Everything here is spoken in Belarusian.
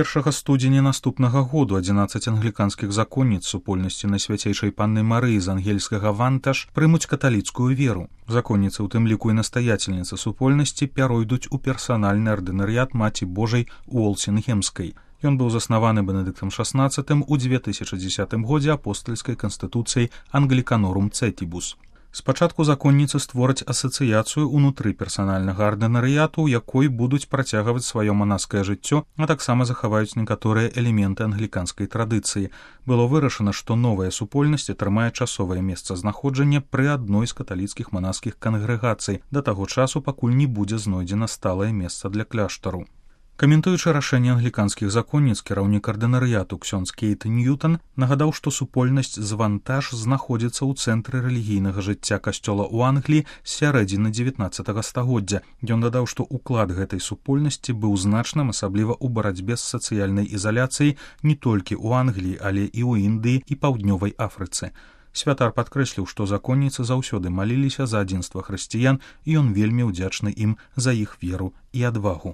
1 студзеня наступнага году 11 англіканскіх законніц супольнасці Найсвяцейшай Панны Марыі з ангельскага Вантаж прымуць каталіцкую веру. Законніцы, у тым ліку і настаяцельніцы супольнасці, пяройдуць у персанальны ардынарыят Маці Божай Уолсінгемскай. Ён быў заснаваны Бенедыктам XVI у 2010 годзе апостальскай канстытуцыяй Англіканорум Цэтібус. Спачатку законніцы створаць асацыяцыю ўнутры персанальнага ардынарыяту, у якой будуць працягваць сваё манаскае жыццё, а таксама захаваюць некаторыя элементы англіканскай традыцыі. Было вырашана, што новая супольнасць атрымае часовае месцазнаходжанне пры адной з каталіцкіх манаскіх кангрэгацый да таго часу, пакуль не будзе знойдзена сталае месца для кляштару. Каментуючы рашэнне англіканскіх законніц, кіраўнік ардынарыяту ксёндз Кейт Ньютон нагадаў, што супольнасць з Вантаж знаходзіцца ў цэнтры рэлігійнага жыцця касцёла ў Англіі з сярэдзіны 19 стагоддзя. Ён дадаў, што ўклад гэтай супольнасці быў значным, асабліва ў барацьбе з сацыяльнай ізаляцыяй не толькі ў Англіі, але і ў Індыі і Паўднёвай Афрыцы. Святар падкрэсліў, што законніцы заўсёды маліліся за адзінства хрысціян, і ён вельмі ўдзячны ім за іх веру і адвагу.